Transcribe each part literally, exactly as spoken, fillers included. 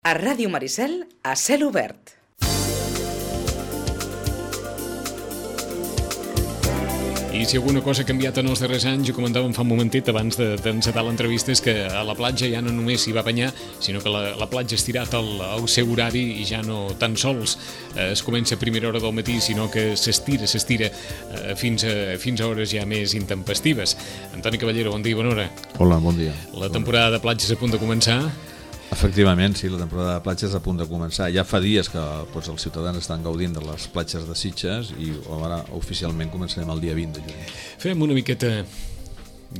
A Ràdio Maricel, a cel obert. I si alguna cosa ha canviat en els darrers anys, ho comentàvem fa un momentet abans d'encetar l'entrevista, és que a la platja ja no només s'hi va banyar, sinó que la, la platja ha estirat el, el seu horari i ja no tan sols eh, es comença a primera hora del matí, sinó que s'estira, s'estira eh, fins, a, fins a hores ja més intempestives. Antoni Caballero, bon dia, bona hora. Hola, bon dia. La temporada de platges a punt de començar. Efectivament, sí, la temporada de platges a punt de començar. Ja fa dies que doncs, els ciutadans estan gaudint de les platges de Sitges i ara oficialment començarem el dia vint de juny. Fem una miqueta,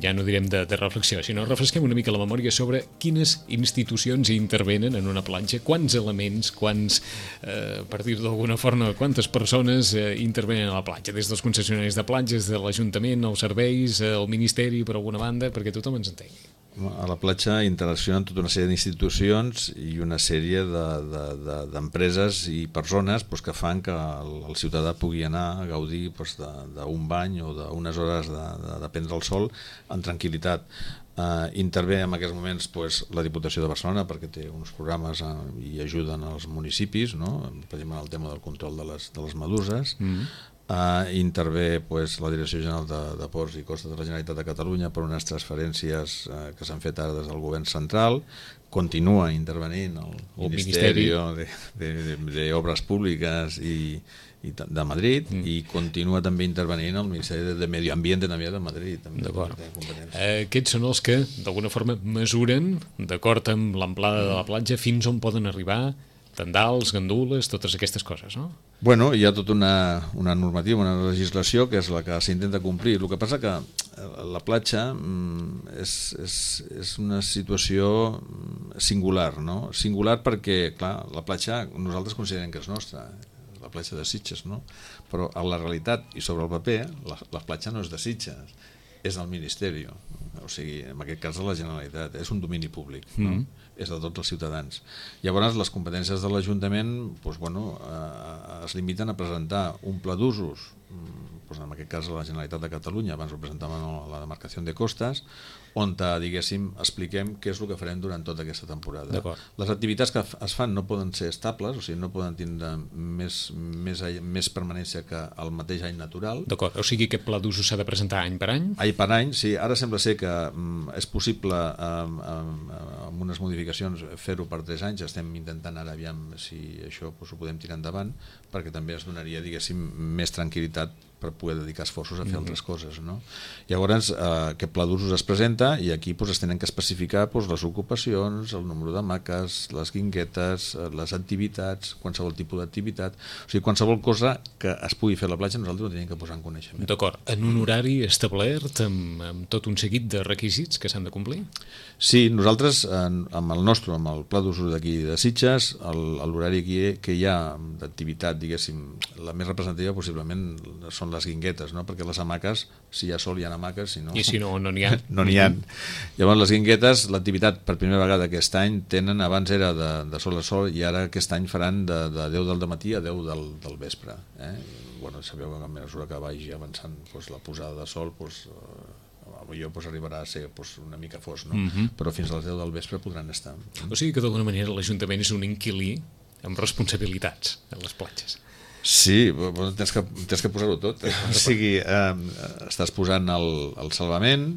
ja no direm de, de reflexió, sinó refresquem una mica la memòria sobre quines institucions hi intervenen en una platja, quants elements, quants, eh, per dir d'alguna forma, quantes persones eh, intervenen a la platja, des dels concessionaris de platges, de l'Ajuntament, els serveis, eh, el Ministeri, per alguna banda, perquè tothom ens entengui. A la platja interaccionen tota una sèrie d'institucions i una sèrie d'empreses de, de, i persones doncs, que fan que el, el ciutadà pugui anar a gaudir doncs, d'un bany o d'unes hores de, de, de prendre el sol en tranquil·litat. Uh, intervé en aquests moments pues, la Diputació de Barcelona perquè té uns programes uh, i ajuden als municipis, no? Per exemple el tema del control de les, de les meduses. Mm-hmm. Uh, intervé pues, la Direcció General de, de Ports i Costes de la Generalitat de Catalunya per unes transferències uh, que s'han fet ara des del govern central. Continua intervenint el, el Ministeri de, de, de, de Obres Públiques i, i de Madrid mm. i continua també intervenint el Ministeri de, de Medio Ambiente també de Madrid. D'acord. Eh, aquests són els que d'alguna forma mesuren, d'acord amb l'amplada de la platja, fins on poden arribar tendals, gandules, totes aquestes coses, no? Bueno, hi ha tota una, una normativa, una legislació que és la que s'intenta complir. El que passa que la platja és, és, és una situació singular, no? Singular perquè, clar, la platja nosaltres considerem que és nostra, la platja de Sitges, no? Però a la realitat i sobre el paper, la, la platja no és de Sitges, és del Ministeri, o sigui, en aquest cas de la Generalitat, és un domini públic, no? Mm. És de tots els ciutadans. Llavors, les competències de l'Ajuntament doncs, bueno, eh, es limiten a presentar un pla d'usos, doncs, en aquest cas a la Generalitat de Catalunya, abans ho presentàvem a la demarcació de costes, on, diguéssim, expliquem què és el que farem durant tota aquesta temporada. Les activitats que es fan no poden ser estables, o sigui, no poden tindre més, més, més permanència que el mateix any natural. D'acord, o sigui que aquest pla d'usos s'ha de presentar any per any? Any per any, sí. Ara sembla ser que mm, és possible amb, amb, amb unes modificacions fer-ho per tres anys. Estem intentant ara aviam si això doncs, ho podem tirar endavant, perquè també es donaria, diguéssim, més tranquil·litat per poder dedicar esforços a fer mm-hmm. altres coses, no? Llavors, eh, aquest pla d'usos es presenta i aquí doncs, es tenen que especificar doncs, les ocupacions, el número de maques, les guinguetes, les activitats, qualsevol tipus d'activitat, o sigui, qualsevol cosa que es pugui fer a la platja nosaltres ho tenim que posar en coneixement. D'acord, en un horari establert amb, amb tot un seguit de requisits que s'han de complir? Sí, nosaltres en, amb el nostre, amb el pla d'usos d'aquí de Sitges, l'horari que, que hi ha d'activitat, diguéssim, la més representativa possiblement són les guinguetes, no? Perquè les hamaques, si hi ha sol hi ha hamaques, si no... I si no, no n'hi ha. no n'hi ha. Llavors les guinguetes, l'activitat per primera vegada aquest any tenen, abans era de, de sol a sol i ara aquest any faran de, de deu del matí a deu del, del vespre. Eh? Bueno, sabeu que a mesura que vagi avançant doncs, la posada de sol, doncs, eh, potser doncs, arribarà a ser doncs, una mica fos, no? Mm-hmm. Però fins a les deu del vespre podran estar. O sigui que d'alguna manera l'Ajuntament és un inquilí amb responsabilitats a les platges. Sí, tens que, tens que posar-ho tot. O sigui, eh, estàs posant el, el salvament,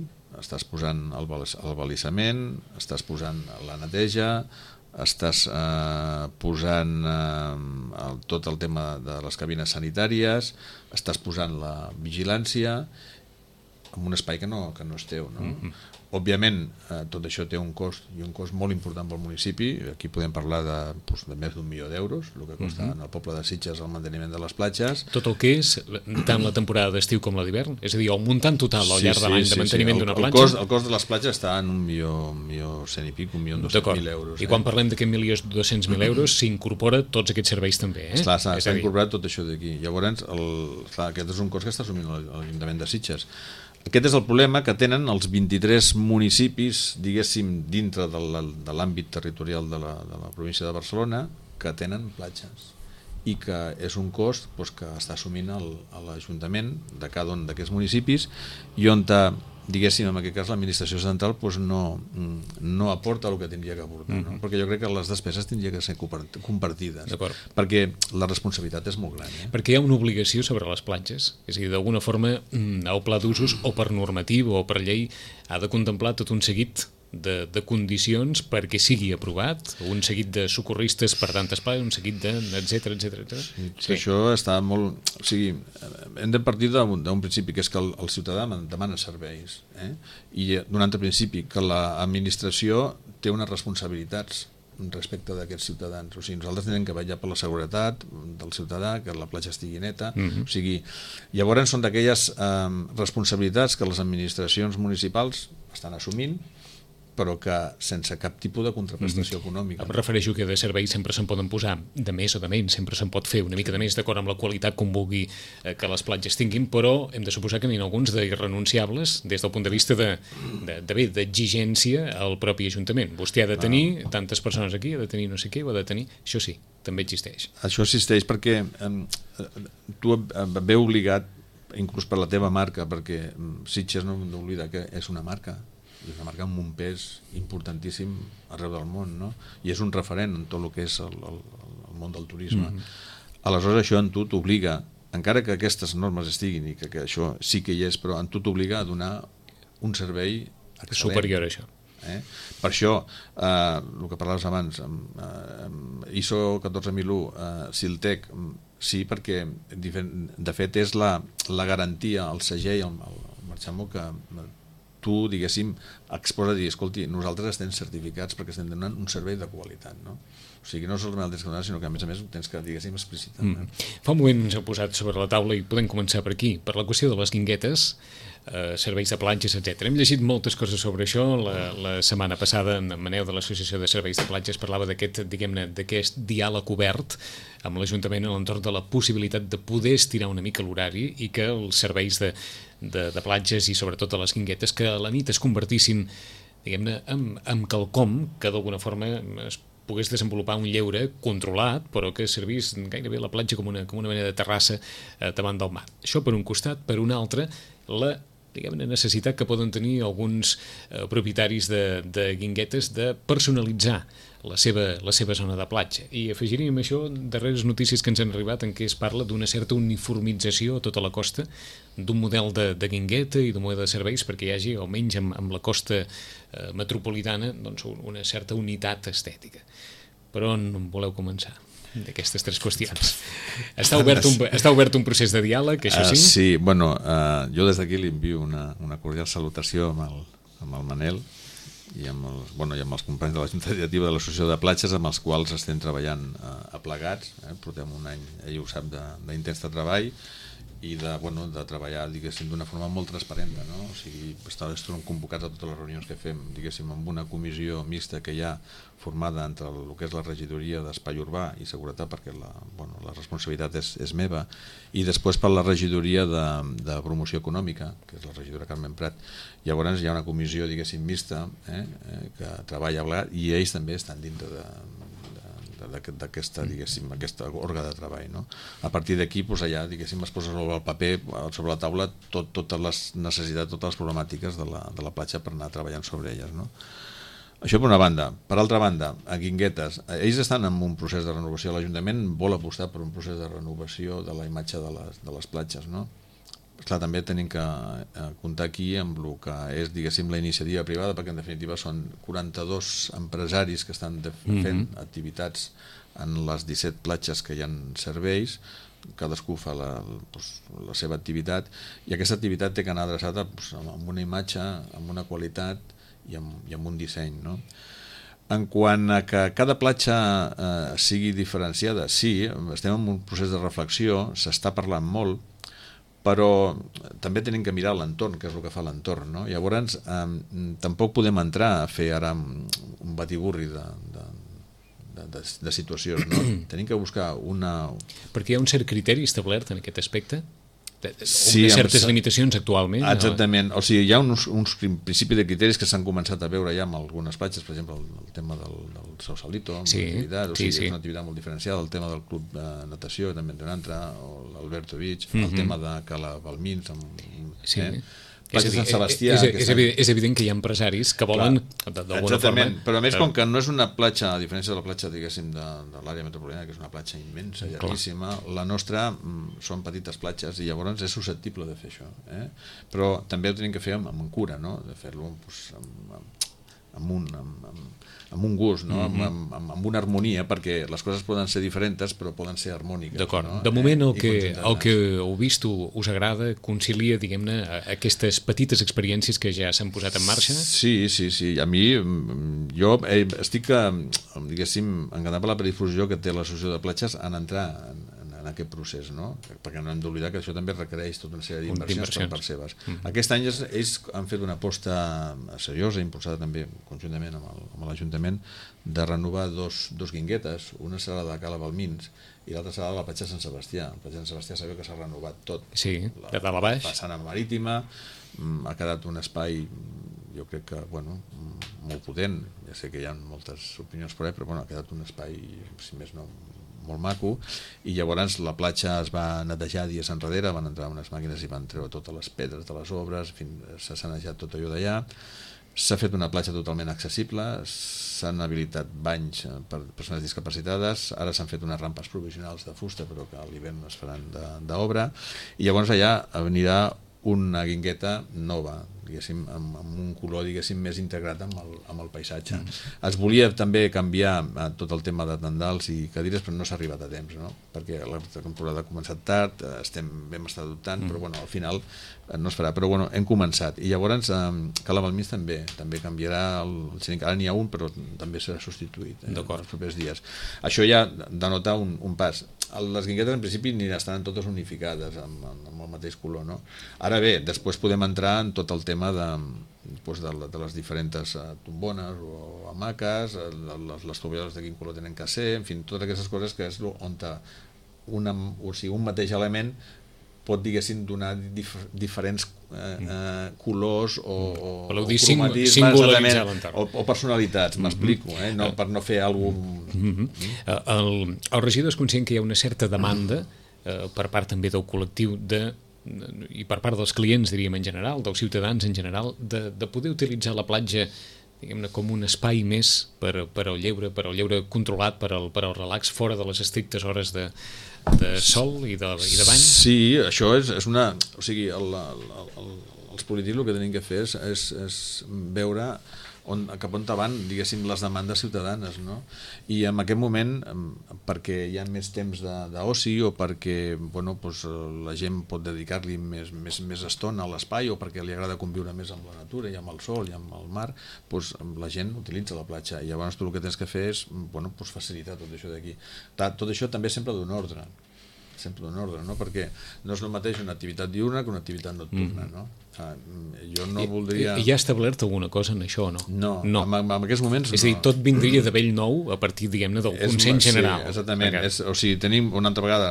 estàs posant el, el balissament, estàs posant la neteja, estàs eh, posant eh, el, tot el tema de les cabines sanitàries, estàs posant la vigilància en un espai que no, que no és teu, no? Mm-hmm. Òbviament, eh, tot això té un cost, i un cost molt important pel municipi. Aquí podem parlar de, doncs, de més d'un milió d'euros, el que costa mm-hmm. al poble de Sitges el manteniment de les platges. Tot el que és, tant la temporada d'estiu com la d'hivern? És a dir, el muntant total al llarg sí, de l'any sí, de manteniment sí. d'una platja? El cost, el cost de les platges està en un milió, un milió cent i pic, un milió dos-cents mil euros. I quan eh? parlem d'aquest milió dos-cents mil euros, s'incorpora tots aquests serveis també, eh? Esclar, s'ha, s'ha incorporat tot això d'aquí. Llavors, el, clar, aquest és un cost que està assumint l'Ajuntament de Sitges. Aquest és el problema que tenen els vint-i-tres municipis, diguéssim, dintre de l'àmbit territorial de la, de la província de Barcelona, que tenen platges i que és un cost doncs, que està assumint l'Ajuntament de cada un d'aquests municipis i on diguéssim, en aquest cas l'administració central doncs no, no aporta el que tindria que aportar, no? Perquè jo crec que les despeses tindrien que ser compartides, perquè la responsabilitat és molt gran. Eh? Perquè hi ha una obligació sobre les platges, és a dir, d'alguna forma el pla d'usos o per normativa o per llei ha de contemplar tot un seguit de, de condicions perquè sigui aprovat, un seguit de socorristes per tantes plagues, un seguit de etcètera, etcètera. Sí, sí. Això està molt... O sigui, hem de partir d'un principi, que és que el, el ciutadà demana serveis, eh? I d'un altre principi, que l'administració té unes responsabilitats respecte d'aquests ciutadans. O sigui, nosaltres tenim que vetllar per la seguretat del ciutadà, que la platja estigui neta. Uh-huh. O sigui, llavors són d'aquelles eh, responsabilitats que les administracions municipals estan assumint, però que sense cap tipus de contraprestació mm-hmm. econòmica. Em refereixo que de serveis sempre se'n poden posar de més o de menys, sempre se'n pot fer una mica de més d'acord amb la qualitat com vulgui eh, que les platges tinguin, però hem de suposar que n'hi ha alguns d'irrenunciables des del punt de vista de, de, de bé, d'exigència al propi Ajuntament. Vostè ha de tenir no. tantes persones aquí, ha de tenir no sé què, ho ha de tenir... Això sí, també existeix. Això existeix perquè eh, tu ve obligat, inclús per la teva marca, perquè Sitges no hem d'oblidar que és una marca, i una marca amb un pes importantíssim arreu del món, no? I és un referent en tot el que és el, el, el món del turisme. Mm-hmm. Aleshores això en tu t'obliga, encara que aquestes normes estiguin i que, que això sí que hi és, però en tu t'obliga a donar un servei excel·lent. Superior a això. Eh? Per això, eh, el que parlaves abans, eh, I S O catorze mil u, eh, Siltec, sí, perquè de fet és la, la garantia, el segell, el, el marxamo que tu, diguéssim, exposa a dir, escolti, nosaltres estem certificats perquè estem donant un servei de qualitat, no? O sigui, no solament el tens que donar, sinó que a més a més ho tens que, diguéssim, explicitar. Mm. Fa un moment ens heu posat sobre la taula i podem començar per aquí, per la qüestió de les guinguetes, eh, serveis de platges, etcètera. Hem llegit moltes coses sobre això. La, la setmana passada en Maneu de l'Associació de Serveis de Platges parlava d'aquest, diguem-ne, d'aquest diàleg obert amb l'Ajuntament a l'entorn de la possibilitat de poder estirar una mica l'horari i que els serveis de, de, de platges i sobretot de les guinguetes que a la nit es convertissin, diguem-ne, en, en quelcom que d'alguna forma es pogués desenvolupar un lleure controlat, però que servís gairebé la platja com una, com una mena de terrassa eh, davant del mar. Això per un costat, per un altre, la diguem-ne, necessitat que poden tenir alguns eh, propietaris de, de guinguetes de personalitzar la seva, la seva zona de platja. I afegiríem això darreres notícies que ens han arribat en què es parla d'una certa uniformització a tota la costa, d'un model de, de guingueta i d'un model de serveis perquè hi hagi, almenys amb, amb la costa eh, metropolitana, doncs, una certa unitat estètica. Per on voleu començar d'aquestes tres qüestions? Està obert un, està obert un procés de diàleg, això sí? Uh, sí, bueno, uh, jo des d'aquí li envio una, una cordial salutació amb el, amb el Manel i amb, el, bueno, i amb els companys de la Junta Directiva de l'Associació de Platges, amb els quals estem treballant uh, aplegats. Eh? Portem un any, ell ho sap, d'intens de, de treball i de, bueno, de treballar, diguéssim, d'una forma molt transparent, no? O sigui, estem convocats a totes les reunions que fem, diguéssim, amb una comissió mixta que hi ha formada entre el, el que és la regidoria d'Espai Urbà i Seguretat, perquè la, bueno, la responsabilitat és, és meva, i després per la regidoria de, de Promoció Econòmica, que és la regidora Carmen Prat. Llavors hi ha una comissió, diguéssim, mixta, eh, eh, que treballa plegat, i ells també estan dintre de d'aquesta, diguéssim, aquesta òrga de treball, no? A partir d'aquí, doncs allà, diguéssim, es posa sobre el paper, sobre la taula, tot, totes les necessitats, totes les problemàtiques de la, de la platja per anar treballant sobre elles, no? Això per una banda. Per altra banda, a Guinguetes, ells estan en un procés de renovació. L'Ajuntament vol apostar per un procés de renovació de la imatge de les, de les platges, no? Clar, també tenim que comptar aquí amb el que és, diguéssim, la iniciativa privada, perquè en definitiva són quaranta-dos empresaris que estan fent mm-hmm. activitats en les disset platges que hi ha serveis, cadascú fa la, doncs, la seva activitat, i aquesta activitat té que anar adreçada doncs, amb una imatge, amb una qualitat i amb, i amb un disseny, no? En quant a que cada platja eh, sigui diferenciada, sí, estem en un procés de reflexió, s'està parlant molt, però també tenim que mirar l'entorn, que és el que fa l'entorn, no? Llavors, eh, tampoc podem entrar a fer ara un batiburri de, de, de, de, de situacions, no? Tenim que buscar una... Perquè hi ha un cert criteri establert en aquest aspecte? Sí, de certes limitacions actualment? Exactament, o sigui, hi ha uns, uns principis de criteris que s'han començat a veure ja amb algunes platges, per exemple el, el tema del, del Sausalito, amb sí, l'activitat, o sí, sigui, sí. és una activitat molt diferenciada, el tema del club de natació també en té un altre, o l'Alberto Beach, mm-hmm. el tema de Cala Balmins, amb, sí. eh? platja de Sant Sebastià... És, és, és, evident, és evident que hi ha empresaris que volen, d'alguna forma... Però a més, com que no és una platja, a diferència de la platja, diguéssim, de, de l'àrea metropolitana, que és una platja immensa, llarguíssima, la nostra mm, són petites platges i llavors és susceptible de fer això. Eh? Però també ho tenim que fer amb, amb cura, no? De fer-lo doncs, amb, amb, amb un... Amb, amb, amb un gust, no? mm -hmm. amb, amb, amb una harmonia, perquè les coses poden ser diferents però poden ser harmòniques. D'acord. No? De moment el eh? que, el que heu vist us agrada, concilia, diguem-ne, aquestes petites experiències que ja s'han posat en marxa? Sí, sí, sí. A mi, jo eh, estic, diguéssim, encantat per la predifusió que té l'Associació de Platges en entrar en, en aquest procés, no? Perquè no hem d'oblidar que això també requereix tota una sèrie d'inversions per part seves. Mm -hmm. Aquest any ells han fet una aposta seriosa, impulsada també conjuntament amb l'Ajuntament, de renovar dos, dos guinguetes. Una serà la de Cala Balmins i l'altra serà la platja de Sant Sebastià. La platja de Sant Sebastià sabeu que s'ha renovat tot. Sí, de dalt a baix. La façana marítima, ha quedat un espai, jo crec que, bueno, molt potent. Ja sé que hi ha moltes opinions per allà, però bueno, ha quedat un espai, si més no, molt maco, i llavors la platja es va netejar dies enrere, van entrar unes màquines i van treure totes les pedres de les obres, s'ha sanejat tot allò d'allà, s'ha fet una platja totalment accessible, s'han habilitat banys per persones discapacitades, ara s'han fet unes rampes provisionals de fusta, però que a l'hivern es faran d'obra, i llavors allà anirà una guingueta nova, diguéssim, amb, amb un color, diguéssim, més integrat amb el, amb el paisatge. Mm. Es volia també canviar tot el tema de tendals i cadires, però no s'ha arribat a temps, no? Perquè la temporada ha començat tard, estem, vam estar dubtant, mm. però bueno, al final no es farà, però bueno, hem començat. I llavors eh, Cala Balmins també, també canviarà el, el xeringuet, ara n'hi ha un, però també serà substituït eh, en els propers dies. Això ja denota un, un pas. Les guinguetes en principi ni estaran totes unificades amb, amb el mateix color, no? Ara bé, després podem entrar en tot el tema de, doncs de, de les diferents uh, tombones o hamaques, les, les tovalloles de quin color tenen que ser, en fi, totes aquestes coses que és on una, o sigui, un mateix element pot, diguéssim, donar dif diferents eh, eh, colors o, o, o cromatismes o, o personalitats, m'explico, eh? No, per no fer alguna cosa... Mm -hmm. el, el regidor és conscient que hi ha una certa demanda eh, per part també del col·lectiu de, i per part dels clients, diríem, en general, dels ciutadans en general, de, de poder utilitzar la platja, diguem-ne, com un espai més per, per al lleure, per al lleure controlat, per al, per al relax, fora de les estrictes hores de, de sol i de, i de bany? Sí, això és, és una... O sigui, el, el, el, els polítics el que tenim que fer és, és, és veure on, cap on van, diguéssim, les demandes ciutadanes, no? I en aquest moment, perquè hi ha més temps d'oci o perquè, bueno, doncs, la gent pot dedicar-li més, més, més estona a l'espai o perquè li agrada conviure més amb la natura i amb el sol i amb el mar, doncs la gent utilitza la platja i llavors tu el que tens que fer és, bueno, doncs facilitar tot això d'aquí. Tot això també sempre d'un ordre, sempre d'un ordre, no? Perquè no és el mateix una activitat diurna que una activitat nocturna, no? Ah, jo no I, voldria... I hi ha establert alguna cosa en això o no? No, no. En, en aquests moments no. És a dir, tot vindria de bell nou a partir, diguem-ne, del és, consens general. Sí, exactament. És, o sigui, tenim una altra vegada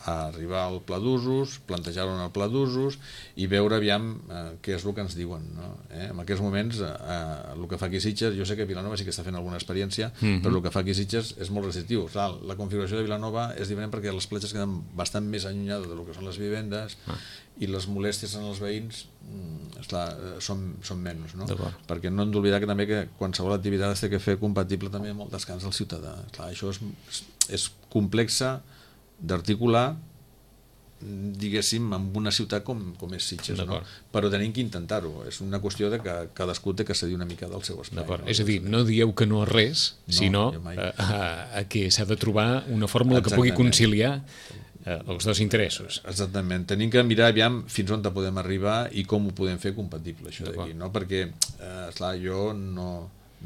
a arribar al pla d'usos, plantejar-ho en el pla d'usos i veure aviam eh, què és el que ens diuen, no? Eh? En aquests moments, eh, el que fa aquí Sitges, jo sé que Vilanova sí que està fent alguna experiència, mm -hmm. però el que fa aquí Sitges és molt restrictiu. Clar, la configuració de Vilanova és diferent perquè les platges queden bastant més allunyades del que són les vivendes ah. i les molèsties en els veïns esclar, són, són menys, no? Perquè no hem d'oblidar que també que qualsevol activitat es té que fer compatible també amb el descans del ciutadà. Clar, això és, és complexa d'articular, diguéssim, amb una ciutat com, com és Sitges, no? Però tenim que intentar-ho. És una qüestió de que cadascú té que cedir una mica del seu espai. No? És a dir, no dieu que no és res, no, sinó a, a, a que s'ha de trobar una fórmula que pugui conciliar Eh, els dos interessos. Exactament, tenim que mirar aviam fins on podem arribar i com ho podem fer compatible això d'aquí, no? Perquè eh, esclar, jo no,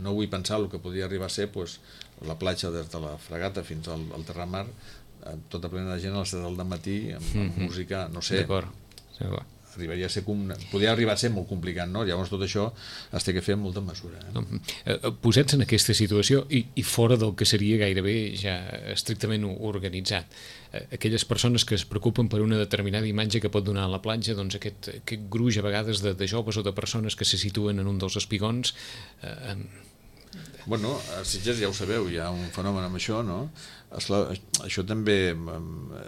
no vull pensar el que podria arribar a ser pues, la platja des de la Fragata fins al, al Terramar, eh, tota plena de gent a les set del matí amb, amb mm-hmm. música, no sé, d'acord, d'acord. Arribaria a ser com, podria arribar a ser molt complicat, no? Llavors tot això es té que fer amb molta mesura. Eh? Posats en aquesta situació i, i fora del que seria gairebé ja estrictament organitzat, aquelles persones que es preocupen per una determinada imatge que pot donar a la platja, doncs aquest, aquest gruix a vegades de, de joves o de persones que se situen en un dels espigons... Eh, Bueno, a Sitges ja ho sabeu, hi ha un fenomen amb això, no? Esclar, això també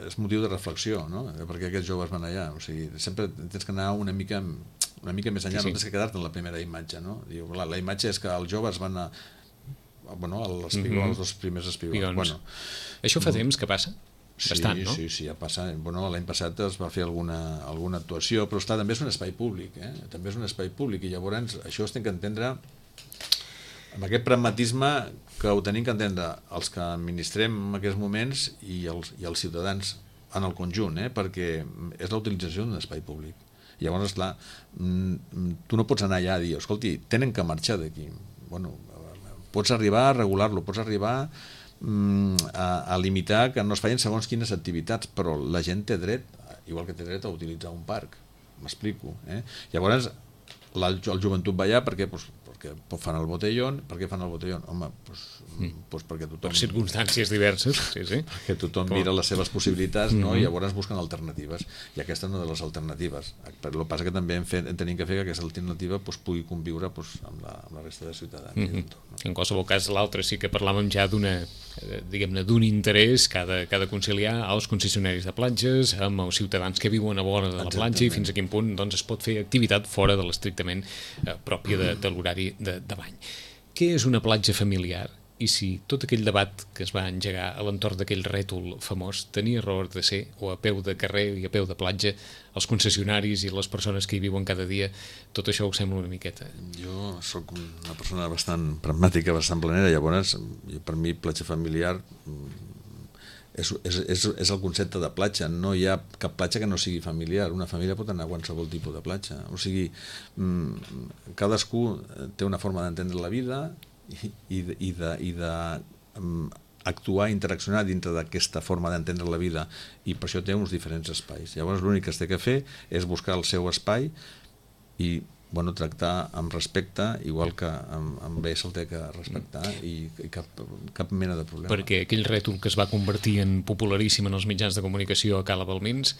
és motiu de reflexió, no? Per què aquests joves van allà? O sigui, sempre tens que anar una mica una mica més enllà, sí, sí. no tens que quedar-te en la primera imatge, no? Diu, la, la imatge és que els joves van a... Bueno, els, espigons, mm-hmm. els dos primers espigons. Bueno, això fa temps que passa? Bastant, sí, no? sí, sí, ja passa. Bueno, l'any passat es va fer alguna, alguna actuació, però està, també és un espai públic, eh? També és un espai públic, i llavors això es té que entendre amb aquest pragmatisme que ho tenim que entendre els que administrem en aquests moments i els, i els ciutadans en el conjunt, eh? Perquè és la utilització d'un espai públic. I llavors, esclar, tu no pots anar allà a dir, escolti, tenen que marxar d'aquí. Bueno, pots arribar a regular-lo, pots arribar a, a limitar que no es facin segons quines activitats, però la gent té dret, igual que té dret a utilitzar un parc, m'explico, eh? Llavors la, el joventut va allà perquè, pues, perquè fan el botellón. Per què fan el botellón? Home, pues, mm. pues perquè tothom... Per circumstàncies diverses, sí, sí. Perquè tothom Com? mira les seves possibilitats, no? Mm-hmm. I llavors busquen alternatives, i aquesta és una de les alternatives. Però el que passa que també hem, fet, hem tenim que fer que aquesta alternativa pues, pugui conviure pues, amb, la, amb la resta de ciutadans. Mm-hmm. Tot, no? En qualsevol cas, l'altre sí que parlàvem ja d'una, diguem-ne, d'un interès que ha de, que ha de conciliar als concessionaris de platges amb els ciutadans que viuen a vora de la Exactament. platja, i fins a quin punt doncs, es pot fer activitat fora de l'estrictament eh, pròpia de, de l'horari de, de bany. Què és una platja familiar? I si tot aquell debat que es va engegar a l'entorn d'aquell rètol famós tenia raó de ser, o a peu de carrer i a peu de platja, els concessionaris i les persones que hi viuen cada dia, tot això ho sembla una miqueta? Jo sóc una persona bastant pragmàtica, bastant planera, llavors per mi platja familiar és, és, és, és el concepte de platja. No hi ha cap platja que no sigui familiar. Una família pot anar a qualsevol tipus de platja. O sigui, cadascú té una forma d'entendre la vida i, i de, i de, i de um, actuar, interaccionar dintre d'aquesta forma d'entendre la vida, i per això té uns diferents espais. Llavors l'únic que es té que fer és buscar el seu espai i bueno, tractar amb respecte, igual que amb, amb bé se'l té que respectar, i, i cap, cap mena de problema. Perquè aquell rètol que es va convertir en popularíssim en els mitjans de comunicació a Cala Balmins...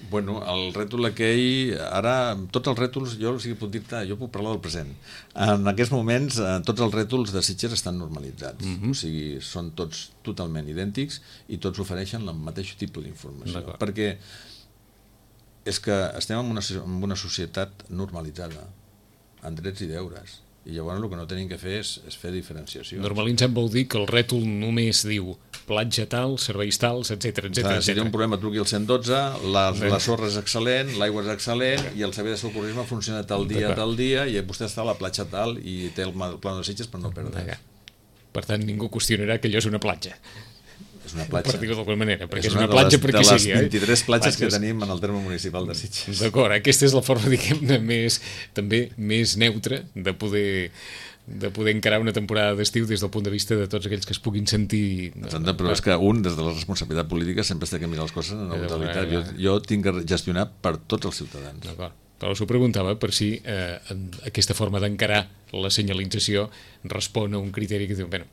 Bueno, el rètol aquell, ara, tots els rètols, jo, o sigui, puc dir-te, jo puc parlar del present. En aquests moments, tots els rètols de Sitges estan normalitzats, mm-hmm. o sigui, són tots totalment idèntics i tots ofereixen el mateix tipus d'informació. Perquè és que estem en una, en una societat normalitzada, amb drets i deures, i llavors el que no tenim que fer és, és fer diferenciacions. Normalitzat vol dir que el rètol només diu platja tal, serveis tals, etcètera, etcètera. Si té un problema, truqui al cent dotze, la, la sorra és excel·lent, l'aigua és excel·lent, i el servei de socorrisme funciona tal dia, tal dia, i vostè està a la platja tal i té el pla de Sitges per no perdre. Per tant, ningú qüestionarà que allò és una platja. És una platja. Per dir-ho d'alguna manera, perquè és, és una, una platja perquè sigui. De les vint-i-tres platges que tenim en el terme municipal de Sitges. D'acord, aquesta és la forma, diguem-ne, més, també més neutra de poder, de poder encarar una temporada d'estiu des del punt de vista de tots aquells que es puguin sentir... Exacte, però és que un, des de la responsabilitat política, sempre té que mirar les coses en la totalitat. Jo, jo tinc que gestionar per tots els ciutadans. D'acord. Però us ho preguntava per si eh, aquesta forma d'encarar la senyalització respon a un criteri que diu, bueno,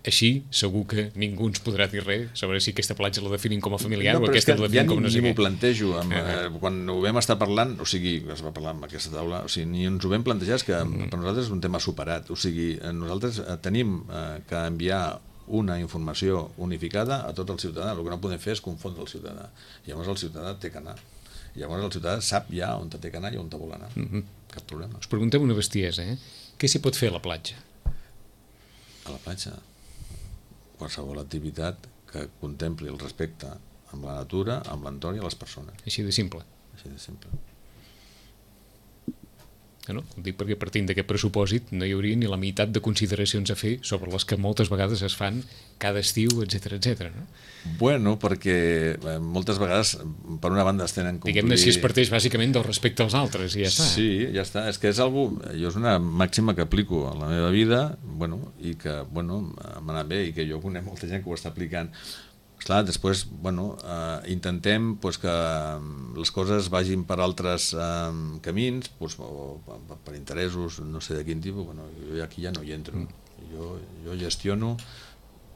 així segur que ningú ens podrà dir res sobre si aquesta platja la definim com a familiar no, o aquesta la definim ja com a no sé què. Ni m'ho plantejo. Amb, uh-huh. Quan ho vam estar parlant, o sigui, es va parlar amb aquesta taula, o sigui, ni ens ho vam plantejar, és que uh-huh. per nosaltres és un tema superat. O sigui, nosaltres tenim eh, que enviar una informació unificada a tot el ciutadà. El que no podem fer és confondre el ciutadà. Llavors el ciutadà té que anar. Llavors el ciutadà sap ja on té que anar i on té vol anar. Uh-huh. Cap problema. Us preguntem una bestiesa, eh? Què s'hi pot fer a la platja? A la platja? Qualsevol activitat que contempli el respecte amb la natura, amb l'entorn i a les persones. Així de simple. Així de simple. No? Ho dic perquè partint d'aquest pressupòsit no hi hauria ni la meitat de consideracions a fer sobre les que moltes vegades es fan cada estiu, etcètera, etcètera, no? Bueno, perquè moltes vegades, per una banda, es tenen que complir... Diguem-ne, si es parteix bàsicament del respecte als altres, i ja està. Sí, ja està. És que és algo... Jo és una màxima que aplico a la meva vida, bueno, i que, bueno, m'ha anat bé, i que jo conec molta gent que ho està aplicant. Esclar, després, bueno, eh, intentem pues, que les coses vagin per altres eh, camins, pues, o per, per interessos, no sé de quin tipus, bueno, jo aquí ja no hi entro. Jo, jo gestiono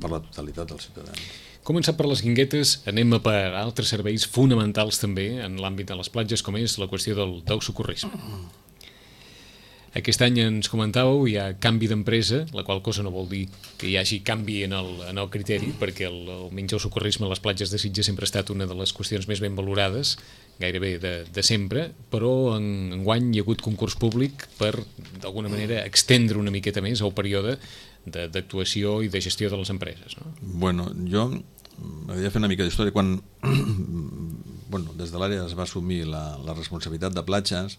per la totalitat dels ciutadans. Començant per les Guinguetes, anem a per altres serveis fonamentals també en l'àmbit de les platges, com és la qüestió del, del socorrisme. Aquest any ens comentàveu, hi ha canvi d'empresa, la qual cosa no vol dir que hi hagi canvi en el, en el criteri, perquè el, almenys el socorrisme a les platges de Sitges sempre ha estat una de les qüestions més ben valorades, gairebé de, de sempre, però en, enguany hi ha hagut concurs públic per, d'alguna manera, extendre una miqueta més el període d'actuació i de gestió de les empreses, no? Bueno, jo m'agradaria fer una mica d'història. Quan bueno, des de l'àrea es va assumir la, la responsabilitat de platges,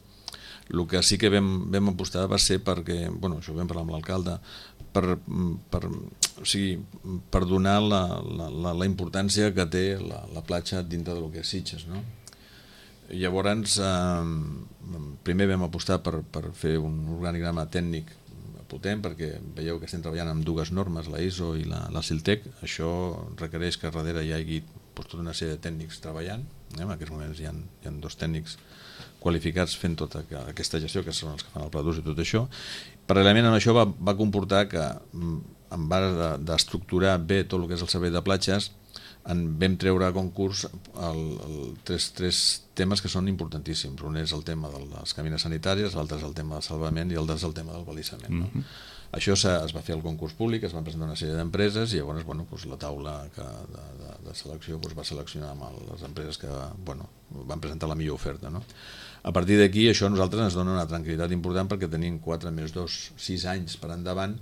el que sí que vam, vam apostar va ser perquè, bueno, això ho vam parlar amb l'alcalde, per, per, o sigui, per donar la, la, la, la importància que té la, la platja dintre del que és Sitges, no? Llavors, eh, primer vam apostar per, per fer un organigrama tècnic potent, perquè veieu que estem treballant amb dues normes, la I S O i la, la Siltec. Això requereix que darrere hi hagi doncs, tota una sèrie de tècnics treballant. Eh? En aquests moments hi ha, hi ha dos tècnics qualificats fent tota aquesta gestió, que són els que fan el pla d'ús i tot això. Paral·lelament amb això va, va comportar que, en base d'estructurar bé tot el que és el servei de platges, en vam treure a concurs el, el, tres, tres temes que són importantíssims. Un és el tema de les cabines sanitàries, l'altre és el tema del salvament i l'altre és el tema del balissament. No? Mm-hmm. Això es va fer al concurs públic, es van presentar una sèrie d'empreses i llavors bueno, doncs la taula que de, de, de selecció doncs va seleccionar amb les empreses que bueno, van presentar la millor oferta. No? A partir d'aquí això a nosaltres ens dona una tranquil·litat important perquè tenim quatre més dos, sis anys per endavant,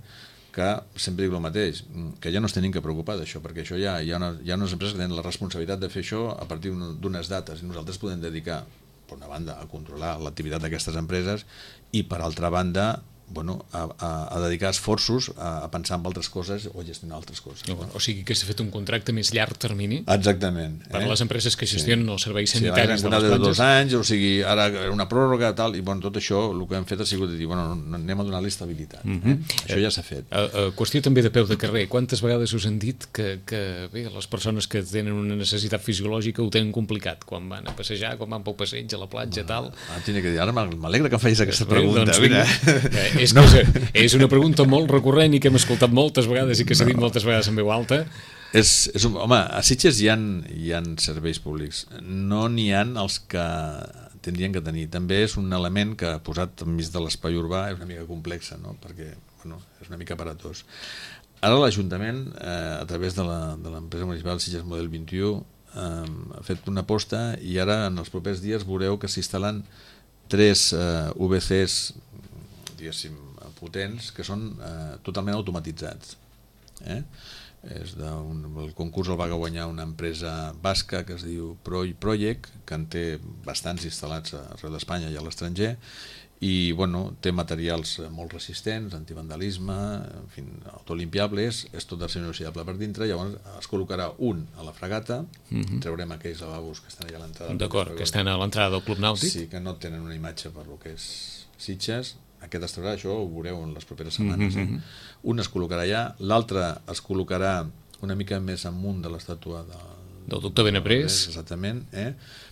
que sempre dic el mateix, que ja no es tenim que preocupar d'això, perquè això ja hi ha, una, hi ha unes empreses que tenen la responsabilitat de fer això a partir d'unes dates i nosaltres podem dedicar, per una banda, a controlar l'activitat d'aquestes empreses i per altra banda bueno, a, a, a dedicar esforços a, a pensar en altres coses o a gestionar altres coses. No? O sigui que s'ha fet un contracte més llarg termini. Exactament. Per a eh? les empreses que gestionen sí. els serveis sanitaris sí, de les platges. de dos anys, o sigui, ara una pròrroga tal, i bueno, tot això el que hem fet ha sigut de dir, bueno, anem a donar-li estabilitat. Mm-hmm. eh? Això ja s'ha fet. A, a qüestió també de peu de carrer, quantes vegades us han dit que, que bé, les persones que tenen una necessitat fisiològica ho tenen complicat, quan van a passejar, quan van pel passeig a la platja, tal? Ah, que dir, ara m'alegra que em facis aquesta pregunta. Doncs, mira, és que no. és una pregunta molt recurrent i que hem escoltat moltes vegades i que s'ha dit moltes vegades en veu alta. És, és un, home, a Sitges hi ha, hi ha serveis públics, no n'hi ha els que tindrien que tenir. També és un element que posat enmig de l'espai urbà és una mica complexa, no? Perquè bueno, és una mica aparatós. Ara l'Ajuntament, eh, a través de l'empresa municipal Sitges Model vint-i-u, eh, ha fet una aposta i ara en els propers dies veureu que s'instal·len tres eh, U B Cs, diguéssim, potents, que són eh, totalment automatitzats. Eh? És de un, el concurs el va guanyar una empresa basca que es diu Project, que en té bastants instal·lats arreu d'Espanya i a l'estranger, i bueno, té materials molt resistents, antivandalisme, en fi, autolimpiables, és tot d'acer inoxidable per dintre, llavors es col·locarà un a la fregata, mm-hmm. traurem aquells lavabos que estan allà a l'entrada. D'acord, que estan a l'entrada del Club Nàutic. Sí, que no tenen una imatge per lo que és Sitges. Aquest es traurà, això ho veureu en les properes setmanes. Mm-hmm. eh? Un es col·locarà allà, l'altre es col·locarà una mica més amunt de l'estàtua de, del doctor Benaprés. Exactament. Eh?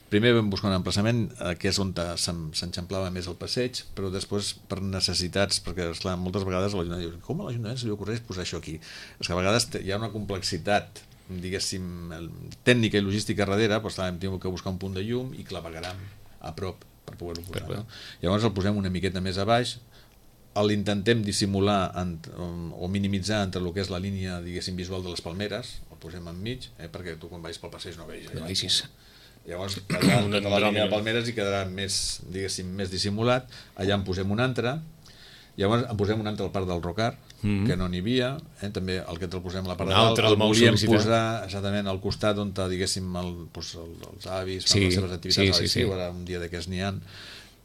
Primer vam buscar un emplaçament eh, que és on s'enxamplava més el passeig, però després per necessitats, perquè esclar, moltes vegades l'Ajuntament diu, com a l'Ajuntament se li ocorreix posar això aquí? És que a vegades hi ha una complexitat diguéssim tècnica i logística darrere, però esclar, hem tingut que buscar un punt de llum i clavegaram a prop per poder-ho posar. No? Llavors el posem una miqueta més a baix, l'intentem dissimular en, o minimitzar entre el que és la línia diguéssim visual de les palmeres, el posem enmig, eh, perquè tu quan vagis pel passeig no veus. No vegis. Llavors quedarà tota la línia de palmeres i quedarà més, diguéssim, més dissimulat. Allà en posem un altre, llavors en posem un altre al parc del Rocar, mm-hmm. que no n'hi havia, eh? També el que el posem a la part de dalt, el volíem posar exactament al costat on diguéssim el, doncs, el, els avis fan sí, les seves activitats sí, a l'estiu, sí, sí. Ara un dia d'aquests n'hi ha,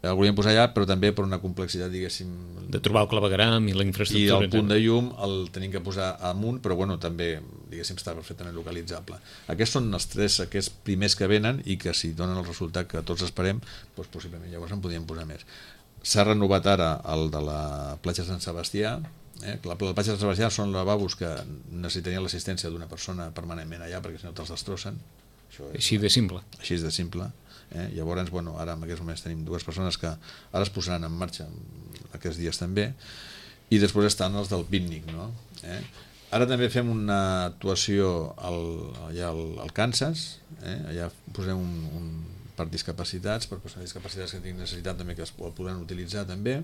el volíem posar allà, però també per una complexitat diguéssim de trobar el clavegaram i la infraestructura i el punt de llum el tenim que posar amunt, però bueno, també diguéssim està perfectament localitzable. Aquests són els tres aquests primers que venen i que si donen el resultat que tots esperem, doncs possiblement llavors en podríem posar més. S'ha renovat ara el de la platja Sant Sebastià. Eh? La platja de Sant Sebastià són lavabos que necessitarien l'assistència d'una persona permanentment allà perquè si no te'ls destrossen. Això és, així de simple. Així de simple. Eh? Llavors, bueno, ara en aquests moments tenim dues persones que ara es posaran en marxa aquests dies també, i després estan els del pícnic, no? Eh? Ara també fem una actuació al, allà al, al Kansas, eh? Allà posem un, un per discapacitats, per persones discapacitats que tinguin necessitat també que es poden utilitzar també,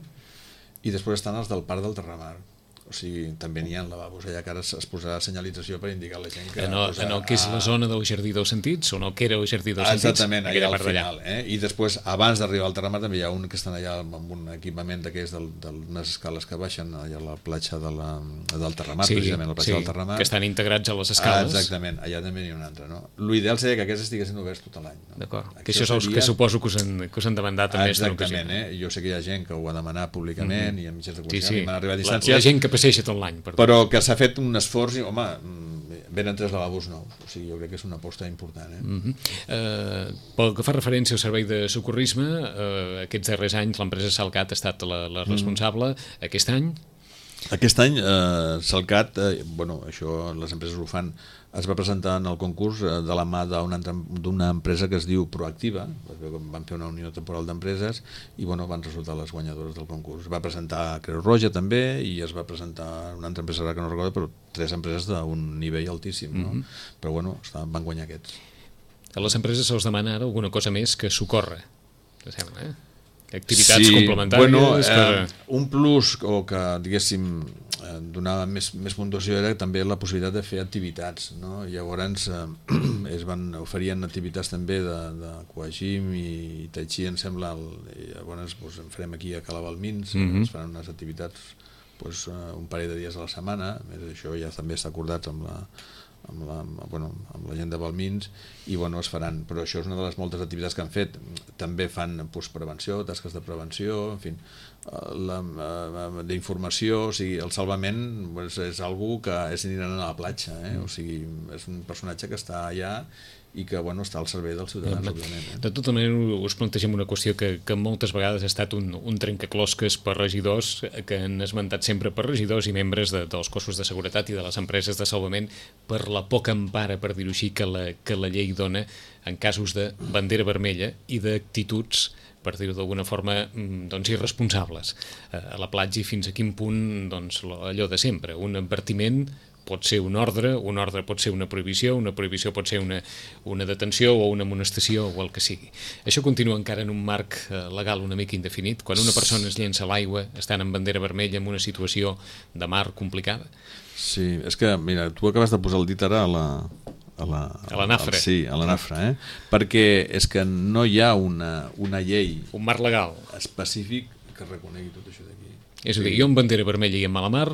i després estan els del Parc del Terramar. O sigui, també n'hi ha lavabos allà que ara es posarà senyalització per indicar a la gent que... En el, posar, en el que és la zona del Jardí dels Sentits, o en el que era el Jardí dels Sentits? Exactament, allà al final. Eh? I després, abans d'arribar al Terramar, també hi ha un que estan allà amb un equipament d'aquests d'unes escales que baixen allà a la platja de la, del Terramar, sí, precisament, la platja sí, del Terramar. Que estan integrats a les escales. Ah, exactament, allà també n'hi ha un altre. No? L'ideal seria que aquests estiguessin oberts tot l'any. No? D'acord, que això és el seria... que suposo que us han, que us han demandat en més d'una ocasió. Exactament, eh? Jo sé que hi ha gent que ho ha demanat públicament mm-hmm. i a mitjans de comunicació sí, sí. m'han arribat a distància. La, la gent que passeja tot l'any. Per però que s'ha fet un esforç i, home, venen tres lavabos nous, o sigui, jo crec que és una aposta important. Eh? Mm-hmm. uh, pel que fa referència al servei de socorrisme, uh, aquests darrers anys l'empresa Salcat ha estat la, la responsable. Mm. Aquest any? Aquest any eh, Salcat, eh, bueno, això les empreses ho fan, es va presentar en el concurs eh, de la mà d'una empresa que es diu Proactiva, van fer una unió temporal d'empreses i bueno, van resultar les guanyadores del concurs. Es va presentar Creu Roja també i es va presentar una altra empresa que no recordo, però tres empreses d'un nivell altíssim, no? Mm-hmm. Però bueno, van guanyar aquests. A les empreses se'ls demana ara alguna cosa més que socórrer, te sembla, eh? Activitats sí, complementàries. Bueno, eh, per... un plus o que, diguéssim, eh, donava més, més puntuació era també la possibilitat de fer activitats, no? Llavors eh, es van oferien activitats també de, de Coagim i Tai Chi, em sembla, el, i llavors doncs, en farem aquí a Cala Balmins, mm-hmm. es faran unes activitats doncs, un parell de dies a la setmana, a més això ja també està acordat amb la amb la, bueno, amb la gent de Balmins i bueno, es faran, però això és una de les moltes activitats que han fet. També fan pues, prevenció, tasques de prevenció, en fi, d'informació, o sigui, el salvament pues, és algú que és inherent a la platja, eh? O sigui, és un personatge que està allà i que bueno, està al servei dels ciutadans, òbviament. Eh? De tota manera, us plantegem una qüestió que, que moltes vegades ha estat un, un trencaclosques per regidors, que han esmentat sempre per regidors i membres de, dels cossos de seguretat i de les empreses de salvament per la poca empara, per dir-ho així, que la, que la llei dona en casos de bandera vermella i d'actituds, per dir-ho d'alguna forma, doncs, irresponsables a la platja i fins a quin punt doncs, allò de sempre, un advertiment pot ser un ordre, un ordre pot ser una prohibició, una prohibició pot ser una, una detenció o una amonestació o el que sigui. Això continua encara en un marc legal una mica indefinit. Quan una persona es llença a l'aigua estant en bandera vermella en una situació de mar complicada. Sí, és que, mira, tu acabes de posar el dit ara a la... A la, a la nafra. Sí, a la nafra, eh? Perquè és que no hi ha una, una llei... Un marc legal. Específic que reconegui tot això d'aquí. És a dir, jo amb bandera vermella i amb mala mar...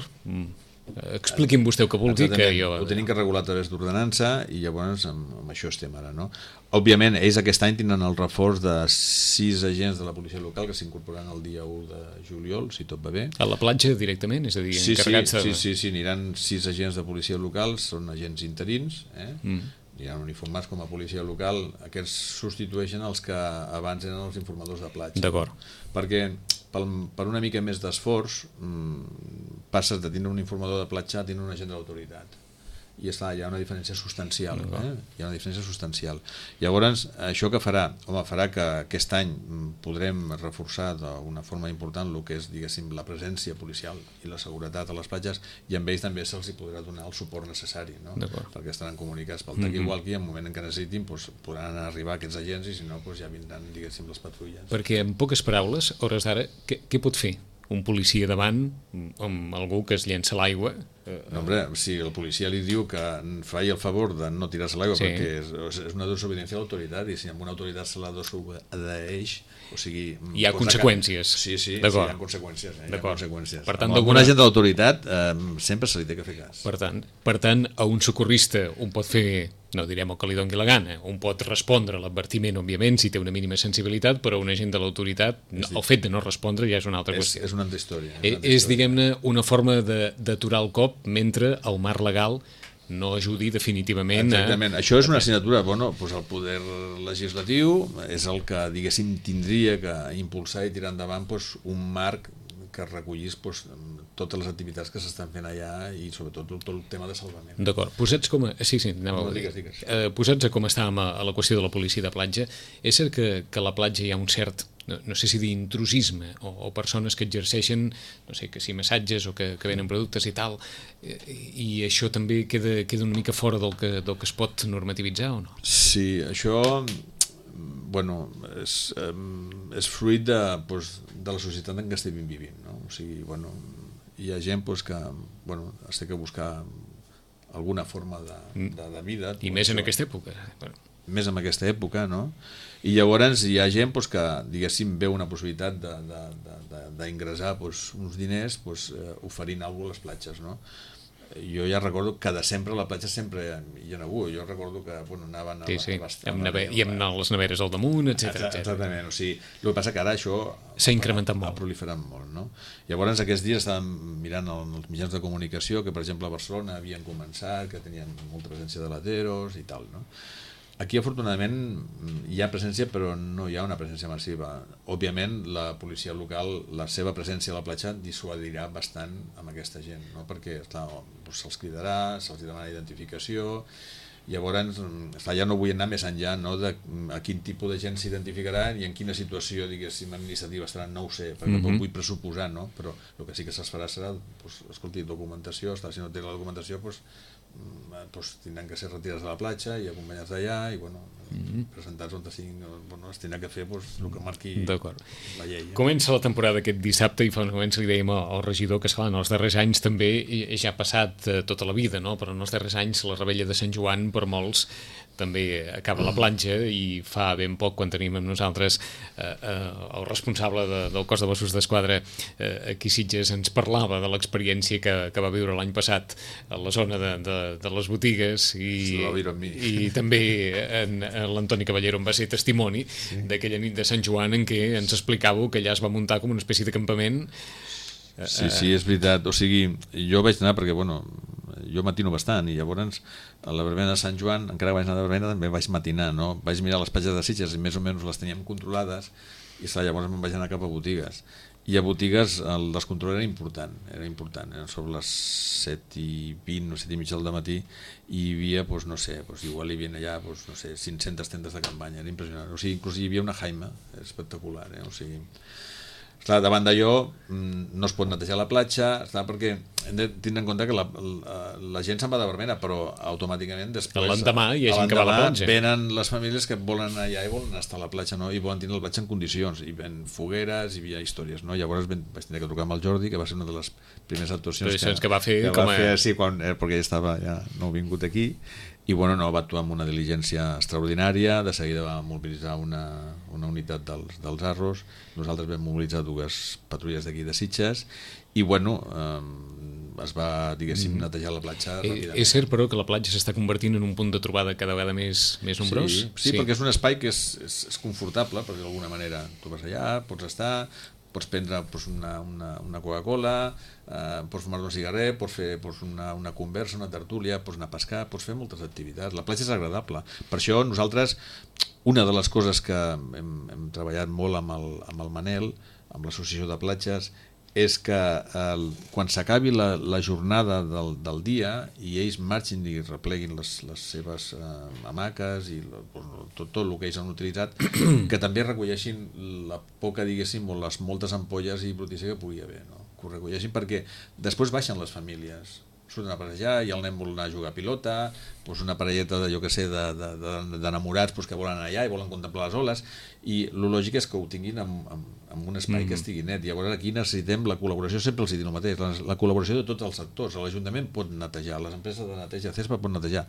Expliqui'm vostè el que vulgui. Que jo... Ho tenim que regular a través d'ordenança i llavors amb, amb això estem ara, no? Òbviament, ells aquest any tenen el reforç de sis agents de la policia local que s'incorporaran el dia u de juliol, si tot va bé. A la platja directament? És a dir, sí, encarregats sí, de... sí, sí, sí, aniran sis agents de policia local, són agents interins, eh? Mm. Aniran uniformats com a policia local, aquests substitueixen els que abans eren els informadors de platja. D'acord. Perquè per, per una mica més d'esforç passes de tenir un informador de platja a tenir un agent de l'autoritat i està, hi ha una diferència substancial, eh? Hi ha una diferència substancial. Llavors, això que farà? Home, farà que aquest any podrem reforçar d'una forma important el que és, diguéssim, la presència policial i la seguretat a les platges i amb ells també se'ls podrà donar el suport necessari, no? Perquè estaran comunicats pel tac, mm-hmm. igual que en el moment en què necessitin doncs, podran arribar aquests agents i si no doncs, ja vindran, diguéssim, les patrulles. Perquè en poques paraules, a hores d'ara, què, què pot fer un policia davant amb algú que es llença a l'aigua? No, hombre, si el policia li diu que faci el favor de no tirar-se a l'aigua, sí. Perquè és, és una desobediència a l'autoritat i si amb una autoritat se la desobeeix, o sigui... Hi ha conseqüències. Que... Sí, sí, sí, hi ha conseqüències. Eh? Hi ha conseqüències. Per tant, amb alguna gent de l'autoritat eh, sempre se li té que fer cas. Per tant, per tant, a un socorrista un pot fer, no direm el que li doni la gana, un pot respondre a l'advertiment, òbviament, si té una mínima sensibilitat, però un agent de l'autoritat, el fet de no respondre ja és una altra qüestió. És, és una altra història. És, una altra és diguem-ne, una forma d'aturar el cop mentre el marc legal no ajudi definitivament. Exactament, a... això és una assignatura, bueno, doncs el poder legislatiu és el que, diguéssim, tindria que impulsar i tirar endavant doncs, un marc que recollís doncs, totes les activitats que s'estan fent allà i sobretot tot el tema de salvament. D'acord, posats com a... Sí, sí, anem a... No, digues, digues. Eh, posats a com estàvem a, a la qüestió de la policia de platja, és cert que, que a la platja hi ha un cert, no, no sé si dir intrusisme, o, o persones que exerceixen, no sé, que si massatges o que, que venen productes i tal, i, i això també queda, queda una mica fora del que, del que es pot normativitzar o no? Sí, això... bueno, és, és fruit de, pues, de la societat en què estem vivint, no? O sigui, bueno, hi ha gent pues, que bueno, es té que buscar alguna forma de, de, de vida. I més en aquesta època. Bueno. Més en aquesta època, no? I llavors hi ha gent pues, que, diguéssim, veu una possibilitat d'ingressar pues, uns diners pues, eh, oferint alguna cosa a les platges, no? Jo ja recordo que de sempre a la platja sempre hi ha algú. Jo recordo que bueno, anaven a, sí, sí. a bastar, amb neve... i amb les neveres al damunt, etcètera. Exactament, o sigui, el que passa que ara això s'ha incrementat molt. Ha proliferat molt, no? Llavors aquests dies estàvem mirant els mitjans de comunicació que per exemple a Barcelona havien començat, que tenien molta presència de lateros i tal, no? Aquí, afortunadament, hi ha presència, però no hi ha una presència massiva. Òbviament, la policia local, la seva presència a la platja dissuadirà bastant amb aquesta gent, no? Perquè esclar, doncs se'ls cridarà, se'ls demanarà identificació, llavors esclar, ja no vull anar més enllà, no? De a quin tipus de gent s'identificarà i en quina situació, diguéssim, administrativa estaran, no ho sé, perquè mm-hmm. no vull pressuposar, no? Però el que sí que se'ls farà serà, doncs, escolti, documentació, esclar, si no té la documentació, doncs, pues, tindran que ser retirats de la platja i acompanyats d'allà i bueno, mm-hmm. presentats on siguin, bueno, es tindrà que fer pues, el que marqui la llei. Eh? Comença la temporada aquest dissabte i fa uns moments li dèiem al regidor que esclar, en els darrers anys també ja ha passat eh, tota la vida, no? Però en els darrers anys la rebella de Sant Joan per molts també acaba a la platja i fa ben poc quan tenim amb nosaltres eh, eh, el responsable de, del cos de Mossos d'Esquadra eh, aquí a Sitges ens parlava de l'experiència que, que va viure l'any passat a la zona de, de, de les botigues i, i també en, en l'Antoni Caballero en va ser testimoni sí. d'aquella nit de Sant Joan en què ens explicàveu que allà es va muntar com una espècie de campament. Sí, sí, és veritat. O sigui, jo vaig anar perquè, bueno, jo matino bastant i llavors a la verbena de Sant Joan, encara vaig anar a la verbena, també vaig matinar, no? Vaig mirar les platges de Sitges i més o menys les teníem controlades i esclar, llavors me'n vaig anar cap a botigues. I a botigues el descontrol era important, era important, eren sobre les set i vint o set i mitja del matí i hi havia, doncs, no sé, doncs, igual hi havia allà, doncs, no sé, cinc-centes tendes de campanya, era impressionant. O sigui, inclús hi havia una jaima, espectacular, eh? O sigui... Esclar, davant d'allò no es pot netejar la platja, esclar, perquè hem de tindre en compte que la, la, la gent se'n va de verbena, però automàticament després l'endemà hi ha gent que va a la platja. Venen les famílies que volen anar allà i volen estar a la platja, no? I volen tenir la platja en condicions, i ven fogueres, i hi havia històries, no? Llavors ben, vaig tenir que trucar amb el Jordi, que va ser una de les primeres actuacions que, que va fer, que com va fer sí, quan, eh, perquè ell estava ja no vingut aquí. I bueno, no, va actuar amb una diligència extraordinària, de seguida va mobilitzar una, una unitat dels, dels Arros, nosaltres vam mobilitzar dues patrulles d'aquí de Sitges i bueno, eh, es va, diguéssim, netejar la platja eh, ràpidament. És cert, però, que la platja s'està convertint en un punt de trobada cada vegada més, més nombrós? Sí, sí, sí, perquè és un espai que és, és, és confortable, perquè d'alguna manera tu vas allà, pots estar, pots prendre pues, una, una, una Coca-Cola, eh, pots fumar un cigarret, pots fer pues, una, una conversa, una tertúlia, pots anar a pescar, pots fer moltes activitats. La platja és agradable. Per això nosaltres, una de les coses que hem, hem treballat molt amb el, amb el Manel, amb l'associació de platges, és que el, quan s'acabi la, la jornada del, del dia i ells marxin i repleguin les, les seves eh, hamaques i la, tot, tot el que ells han utilitzat, que també recolleixin la poca, diguéssim, o les moltes ampolles i brutícia que pugui haver, no? Que ho recolleixin perquè després baixen les famílies, surten a passejar i el nen vol anar a jugar a pilota, doncs una parelleta de, jo que sé, d'enamorats de, de, de, que volen anar allà i volen contemplar les oles, i el lògic és que ho tinguin en, en, en un espai mm-hmm. que estigui net. I llavors aquí necessitem la col·laboració, sempre els dic el mateix, la, la col·laboració de tots els sectors. L'Ajuntament pot netejar, les empreses de neteja CESPA pot netejar,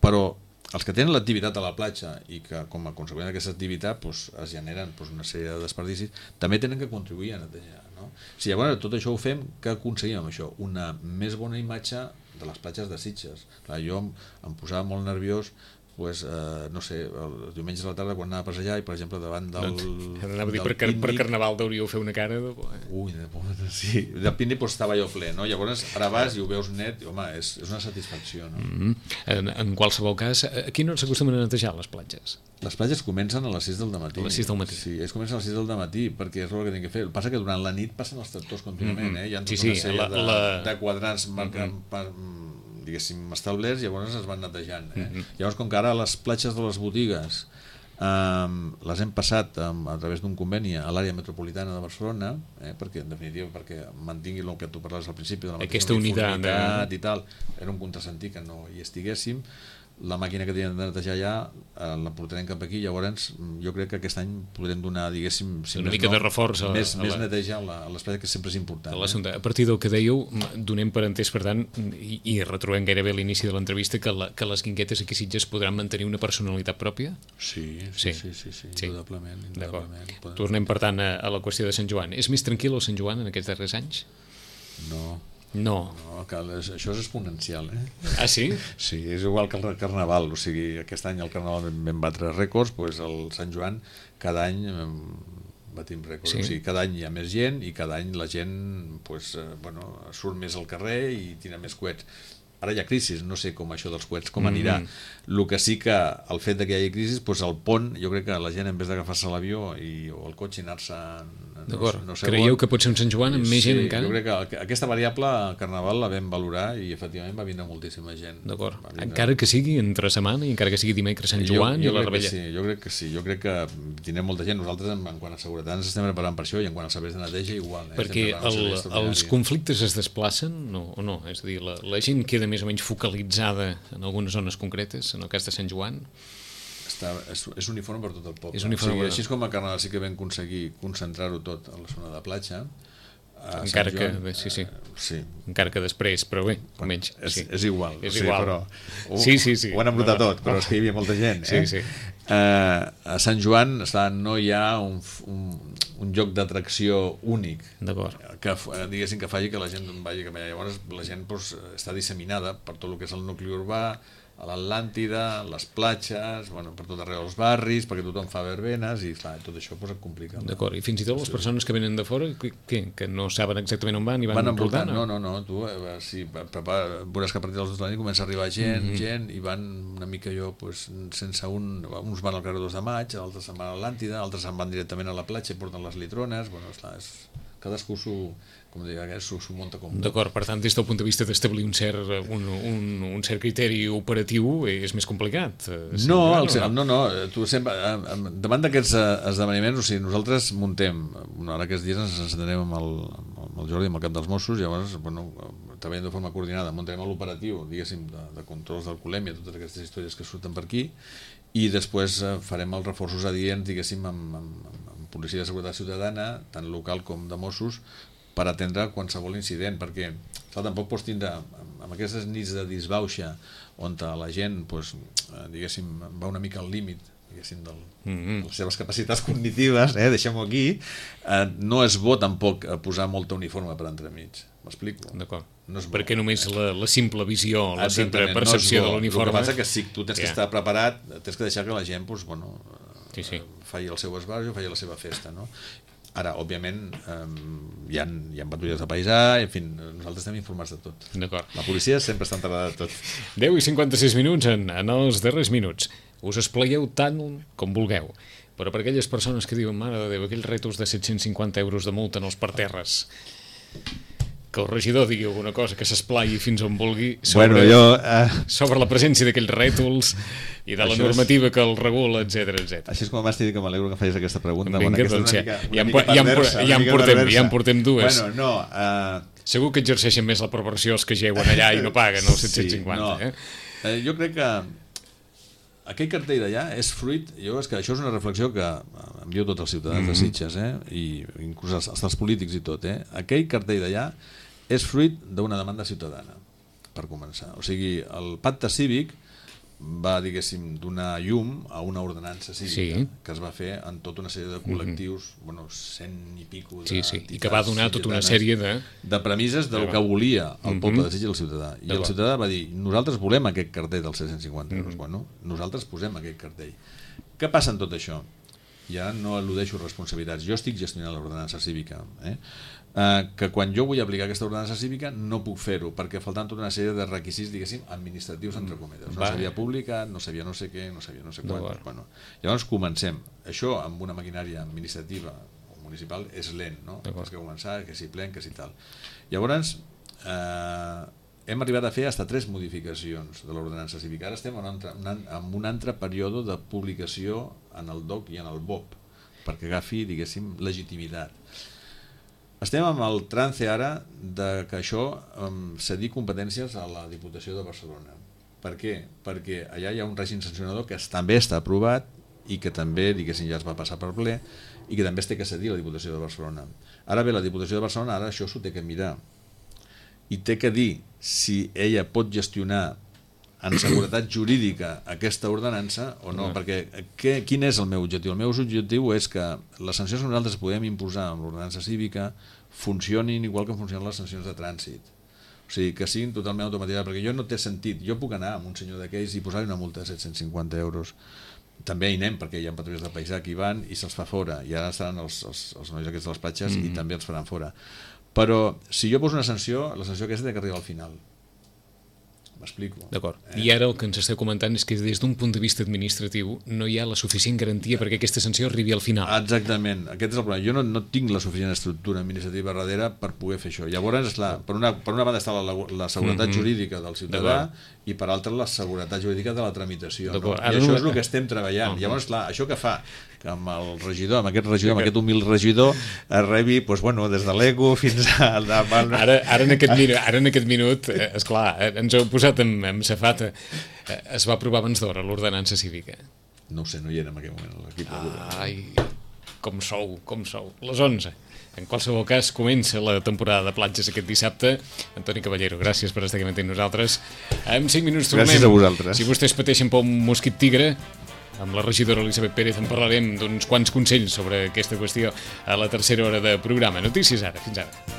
però els que tenen l'activitat a la platja i que com a conseqüència d'aquesta activitat pues, es generen pues, una sèrie de desperdicis, també tenen que contribuir a netejar. No? Si llavors tot això ho fem, què aconseguim amb això? Una més bona imatge de les platges de Sitges. Clar, jo em, em posava molt nerviós pues, eh, no sé, els diumenges a la tarda quan anava a passejar i per exemple davant del, no, anava a dir, per, per Carnaval deuríeu fer una cara de... Ui, de, sí, del pícnic pues, estava jo ple, no? Llavors ara vas i ho veus net i home, és, és una satisfacció, no? Mm-hmm. en, en qualsevol cas, aquí no s'acostumen a netejar les platges? Les platges comencen a les sis del matí. A les sis del matí? Sí, ells comencen a les sis del matí perquè és el que tenen que fer. El que passa que durant la nit passen els tractors contínuament, eh? Hi ha tota sí, una sí, sèrie la, de, la... de quadrants marcant mm-hmm. diguéssim, establerts, llavors es van netejant. Eh? Mm-hmm. Llavors, com que ara les platges de les botigues um, les hem passat um, a través d'un conveni a l'àrea metropolitana de Barcelona, eh? perquè, en definitiva, perquè mantingui el que tu parlaves al principi de la aquesta unitat de... i tal, era un contrasentit que no hi estiguéssim, la màquina que teníem de netejar allà eh, la portarem cap aquí, llavors jo crec que aquest any podrem donar, diguéssim, si una més mica no, de reforç a, més, a la... més neteja a l'espai, que sempre és important. A, eh? a partir del que dèieu, donem per entès, per tant, i, i retrobem gairebé a l'inici de l'entrevista, que, la, que les guinguetes aquí a Sitges podran mantenir una personalitat pròpia? Sí, sí, sí, sí, sí, sí, sí. indudablement. indudablement. Tornem, per tant, a, a la qüestió de Sant Joan. És més tranquil el Sant Joan en aquests darrers anys? No. No. No, que això és exponencial, eh? Ah, sí? Sí, és igual que el Carnaval, o sigui, aquest any el Carnaval vam batre rècords, doncs el Sant Joan cada any batim rècords, sí. O sigui, cada any hi ha més gent i cada any la gent pues, eh, bueno, surt més al carrer i tira més coets. Ara hi ha crisi, no sé com això dels coets, com anirà. Mm -hmm. El que sí que el fet que hi hagi crisi, doncs el pont, jo crec que la gent en vez d'agafar-se l'avió i, o el cotxe i anar-se... D'acord, no sé creieu on, que pot ser un Sant Joan amb sí, més gent encara? Jo crec que aquesta variable al Carnaval la vam valorar i efectivament va vindre moltíssima gent. D'acord, encara que sigui entre setmana i encara que sigui dimecres Sant Joan jo, jo i la Rebella. Sí, jo crec que sí, jo crec que tindrem molta gent. Nosaltres en, en quant a seguretat ens estem preparant per això i en quant als serveis de neteja igual. Eh? Perquè el, els conflictes es desplacen no, o no? És a dir, la, la gent queda més o menys focalitzada en algunes zones concretes, en el cas de Sant Joan? Està, és, és uniforme per tot el poble. És uniforme, o sigui, així com a Carnaval sí que vam aconseguir concentrar-ho tot a la zona de platja, encara que, bé, sí, sí. Eh, sí. encara que després, però bé, menys. És, sí. és igual. És o sigui, igual. Però ho, sí, sí, sí. ho han embrutat no, no. tot, però és que hi havia molta gent. Sí, eh? sí. Eh, a Sant Joan està, no hi ha un, un, un lloc d'atracció únic que, diguéssim, que faci que la gent vagi cap allà. Llavors la gent doncs, està disseminada per tot el que és el nucli urbà, a l'Atlàntida, les platges, bueno, per tot arreu dels barris, perquè tothom fa verbenes i clar, tot això pues, et complica. D'acord, i fins i tot les persones que venen de fora, que, que no saben exactament on van i van, van envoltant? No, no, no, tu eh, si, veuràs que a partir dels dos de la nit comença a arribar gent, mm -hmm. gent, i van una mica jo, pues, sense un... Uns van al carrer dos de maig, altres se'n van a l'Atlàntida, altres se'n van directament a la platja i porten les litrones, bueno, esclar, és... cadascú s'ho com dic, s'ho munta com... D'acord, per tant, des del punt de vista d'establir un, cert, un, un, un cert criteri operatiu és més complicat. No, el, no, no, tu sempre, davant d'aquests esdeveniments, o sigui, nosaltres muntem, ara aquests dies ens encetarem amb el, amb el Jordi, amb el cap dels Mossos, llavors, bueno, treballem de forma coordinada, muntarem l'operatiu, diguéssim, de, de controls d'alcoholèmia, totes aquestes històries que surten per aquí, i després farem els reforços adients, diguéssim, amb, amb, amb policia de seguretat ciutadana, tant local com de Mossos, per atendre qualsevol incident, perquè clar, tampoc pots tindre, amb aquestes nits de disbauxa, on la gent, doncs, diguéssim, va una mica al límit, diguéssim, del, mm-hmm. de les seves capacitats cognitives, eh, deixem-ho aquí, eh, no és bo tampoc posar molta uniforme per entremig. M'explico? D'acord. No perquè només la, la simple visió, la simple percepció no de l'uniforme... El que passa és que si tu tens yeah. que estar preparat, tens que deixar que la gent, doncs, bueno, sí, sí. faci el seu esbarjo, faci la seva festa, no? Ara, òbviament, eh, hi, ha, hi ha patrulles de paisà, en fi, nosaltres estem informats de tot. D'acord. La policia sempre està enterrada de tot. deu i cinquanta-sis minuts en, en els darrers minuts. Us esplaieu tant com vulgueu, però per aquelles persones que diuen, mare de Déu, aquells rètols de set-cents cinquanta euros de multa en els parterres, que el regidor digui alguna cosa, que s'esplai fins on vulgui sobre, bueno, jo, uh... sobre la presència d'aquells rètols i de la normativa és... que el regula, etcètera, etcètera. Així és com m'has dit que m'alegro que facis aquesta pregunta. Vinga, bueno, doncs, ja, ja, ja, en, ja, ja, en portem, ja en portem dues. Bueno, no, uh... Segur que exerceixen més la perversió els que jeuen allà i no paguen els set-cents cinquanta. Sí, no. eh? Uh, jo crec que aquell cartell d'allà és fruit, jo és que això és una reflexió que envio tots els ciutadans mm-hmm. de Sitges, eh? I inclús els, els polítics i tot, eh? Aquell cartell d'allà és fruit d'una demanda ciutadana, per començar. O sigui, el pacte cívic va, diguéssim, donar llum a una ordenança cívica sí. que es va fer en tota una sèrie de col·lectius, mm-hmm. bueno, cent i pico de sí, sí. I que va donar tota una sèrie de... de premisses del que volia el poble mm-hmm. de Sitges i el ciutadà. I el ciutadà va dir, nosaltres volem aquest cartell dels set-cents cinquanta euros. Mm-hmm. Bueno, nosaltres posem aquest cartell. Què passa en tot això? Ja no al·ludeixo responsabilitats. Jo estic gestionant l'ordenança cívica, eh? Uh, que quan jo vull aplicar aquesta ordenança cívica no puc fer-ho, perquè faltant tota una sèrie de requisits, diguéssim, administratius entre cometes. No s'havia publicat, no sabia no sé què, no sabia no sé quant. Bueno, llavors comencem. Això amb una maquinària administrativa o municipal és lent, no? Has que començar, que si plen, que si tal. Llavors, eh, hem arribat a fer fins a tres modificacions de l'ordenança cívica. Ara estem en un altre, en un altre període de publicació en el D O C i en el B O P, perquè agafi, diguéssim, legitimitat. Estem amb el trance ara de que això um, cedir competències a la Diputació de Barcelona. Per què? Perquè allà hi ha un règim sancionador que també està aprovat i que també, diguéssim, ja es va passar per ple i que també es té que cedir a la Diputació de Barcelona. Ara bé, la Diputació de Barcelona ara això s'ho té que mirar i té que dir si ella pot gestionar en seguretat jurídica aquesta ordenança o no, perquè què, quin és el meu objectiu? El meu objectiu és que les sancions que nosaltres podem imposar amb l'ordenança cívica funcionin igual que funcionen les sancions de trànsit. O sigui, que siguin totalment automatitzades, perquè jo no té sentit. Jo puc anar amb un senyor d'aquells i posar-li una multa de set-cents cinquanta euros. També hi anem, perquè hi ha patrulles de paisà que hi van i se'ls fa fora. I ara estaran els, els, els nois aquests de les platges mm-hmm. i també els faran fora. Però si jo poso una sanció, la sanció aquesta té que arribar al final. M'explico. D'acord. Eh? I ara el que ens esteu comentant és que des d'un punt de vista administratiu no hi ha la suficient garantia perquè aquesta sanció arribi al final. Exactament. Aquest és el problema. Jo no, no tinc la suficient estructura administrativa darrere per poder fer això. Llavors, esclar, per, una, per una banda està la, la seguretat mm-hmm. jurídica del ciutadà i per altra la seguretat jurídica de la tramitació. No? I això és el que estem treballant. Uh-huh. Llavors, clar, això que fa que amb el regidor, amb aquest regidor, amb aquest humil regidor, es rebi, doncs, bueno, des de l'ego fins al... Ara, ara, en aquest minut, ara en aquest minut, eh, esclar, eh, ens heu posat en, en safata. Eh, es va aprovar abans d'hora l'ordenança cívica. No ho sé, no hi era en aquell moment l'equip. Ai, com sou, com sou. Les onze. En qualsevol cas, comença la temporada de platges aquest dissabte. Antoni Caballero, gràcies per estar aquí amb nosaltres. En cinc minuts tornem. Gràcies a vosaltres. Si vostès pateixen per un mosquit tigre, amb la regidora Elisabet Pérez en parlarem d'uns quants consells sobre aquesta qüestió a la tercera hora de programa. Notícies ara. Fins ara.